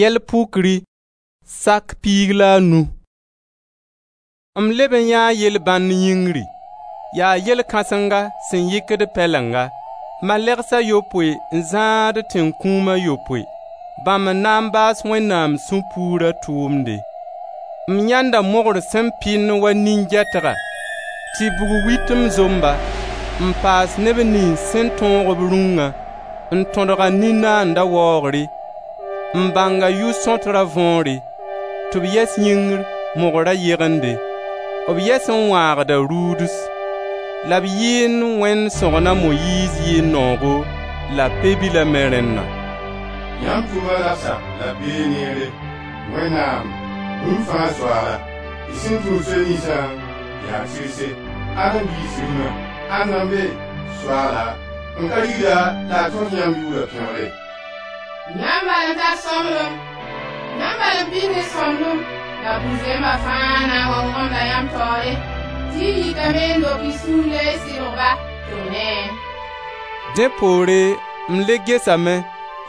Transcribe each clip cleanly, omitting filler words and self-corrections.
Yɛl pukri, sak 15. M leb n yãee yel-bãnd yĩngri. Yaa yel-kãsenga sẽn yɩkd pɛlenga: malɛgs a yopoe n zãad tẽn-kũum a yopoe, bãmb n na n baas Wẽnnaam sũ-puura tʋʋmde. M yãenda mogr sẽn pɩnd wa nin-gɛtga, tɩ bug-witem zomb-a, n paas neb niyns sẽn tõog b rũngã, n tõdg a nin-naanda waoogre, n bãng a yʋ-sõtra võore, tɩ b yɛs yĩngr mogra yegende. B yɛs n wãagda ruuds. La b yɩɩnd Wẽnd sõgna a Moyiiz yɩɩn noogo la Pe-bila me rẽnna. Yãmb tʋʋma labsa la b bee neere, Wẽnnaam, bũmb fãa Soaala. Y sẽn tũud soy ninsã yaa tɩrse. Ãd n diis rĩma? Ãnna n be, Soaala, n ka rigd-a la a tõt yãmb yʋʋra pẽgre? Yãmb bal n tar sõmblem, yãmb bal n pid ne sõmblem la bu-zẽmba fãa na n wa wõgemda yãmb taoore, tɩ y yikame n lok y sũur la y sɩbg-ba tɩ b neẽ. Dẽ poore m le gesame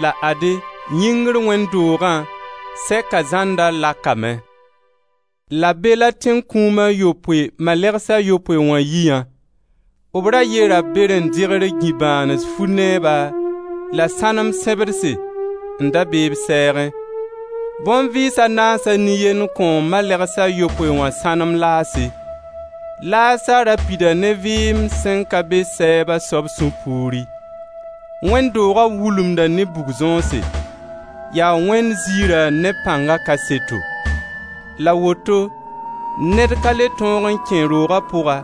la ade, yĩngr wẽnd doogã sɛka zãnda lakame. La be la tẽn-kũum a yopoe malɛgs a yopoe wã yiyã. B ra yera berẽn-degr gĩ-bãans fu-neeba la sãnem sẽbdse n da be b sɛɛgẽ. Bõn-vɩɩs a naasa nin-yend kõo malɛgs a yopoe wã sãnem laase. Laasa ra pida ne vɩɩm sẽn ka be sɛɛb a soab sũ-puuri. Wẽnd dooga wulumda ne bug-zõose. Yaa Wẽnd ziirã ne pãnga kaseto. La woto ned ka le tõog n kẽ rooga pʋga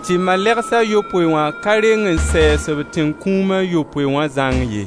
tɩ malɛgs a yopoe wã ka reng n sɛɛs b tẽn-kũum a yopoe wã zãng ye.